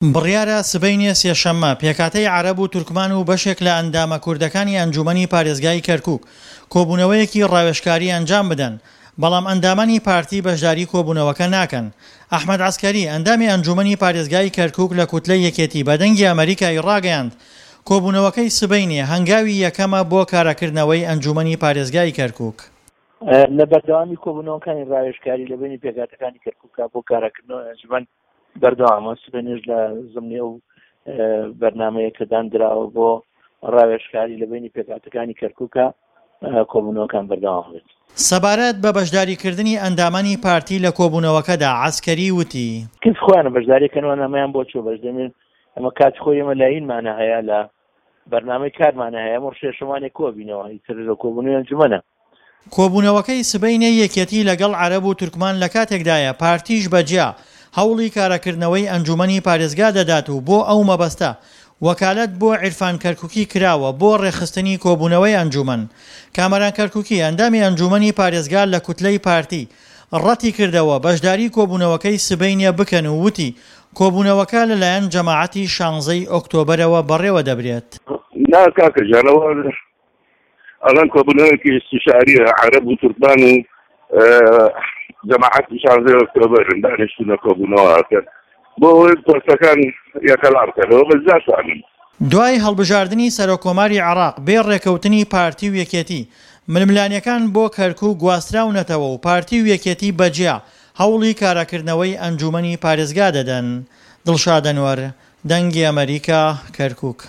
بڕیارە سبەینێ سێشەممە پێکهاتەی عەرەب و تورکمان و بەشێک لە ئەندامە کوردەکانی ئەنجوومەنی پارێزگای کەرکووک کۆبوونەوەیەکی ڕاوێژکاری ئەنجام بدەن، بەڵام ئەندامانی پارتی بەشداری کۆبوونەوەکە ناکەن. ئەحمەد عەسکەری، ئەندامی ئەنجوومەنی پارێزگای کەرکووک لە کوتلەی یەکێتی بە دەنگی ئەمەریکای ڕاگەیاند، کۆبوونەوەکەی سبەینێ هەنگاوی یەکەمە بۆ کاراکردنەوەی ئەنجوومەنی پارێزگای کەرکووک. لە بەردەوامی کۆبوونەوەکانی ڕاوێژکاری لە بەینی پێکهاتەکانی کەرکووکا بۆ کاراکردنەوەی ئەنجومەن بەردەوامە، سبەینێش لە زمنی ئەو بەرنامەیە کە داندراوە بۆ ڕاوێژکاری لە بەینی پێکهاتەکانی کەرکووکە کۆبوونەوەکان بەردەوام بێت. سەبارەت بە بەشداریکردنی ئەندامانی پارتی لە کۆبوونەوەکەدا عەسکەری وتی. کەس خۆیانە بەشداری کەن و نامەیان بۆ چووە بەشدەمێن ئەمە کاتی خۆی ئێمە لاینمانە هەیە لە بەرنامەی کارمانە هەیە ئەمڕۆ شێشەوانێک کۆبینەوە ئیتر لە کۆبوونەوەی ئەنجومەنە. کۆبوونەوەکەی سبەینێی یەکێتی لەگەڵ عەرەب و تورکمان لەکاتێکدایە پارتیش بە جیا هەوڵی کاراکردنەوەی ئەنجوومەنی پارێزگا دەدات و بۆ ئەو مەبەستە وەکالەت بۆ عیرفان کەرکوکی کراوە بۆ ڕێکخستنی کۆبوونەوەی ئەنجوومەن. کامەران کەرکوکی ئەندامی ئەنجوومەنی پارێزگا لە کوتلەی پارتی ڕەتیکردەوە بەشداری کۆبوونەوەکەی سبەینێ بکەن و وتی کۆبوونەوەکە لەلایەن جەماعەتی شانزەی ئۆکتۆبەرەوە بەڕێوەدەبرێت. نا کاکە گیان ئەوە ئەڵێن کۆبوونەوەیەکی ئیستیشاریە عەرەب و تورکمان و جەماعەتی شانزەی ئۆکتۆبەرن دانیشتونە کۆبوونەوە ئەکەن بۆ ئەوەی پۆستەکان یەکەلا بکەنەوە بەس ناتوانن. دوای هەڵبژاردنی سەرۆککۆماری عێراق بێ ڕێکەوتنی پارتی و یەکێتی، ململانێکان بۆ کەرکوک گواستراونەتەوە و پارتی و یەکێتی بەجیا هەوڵی کاراکردنەوەی ئەنجومەنی پارێزگا دەدەن. دڵشاد ئەنوەر، دەنگی ئەمەریکا، کەرکوک.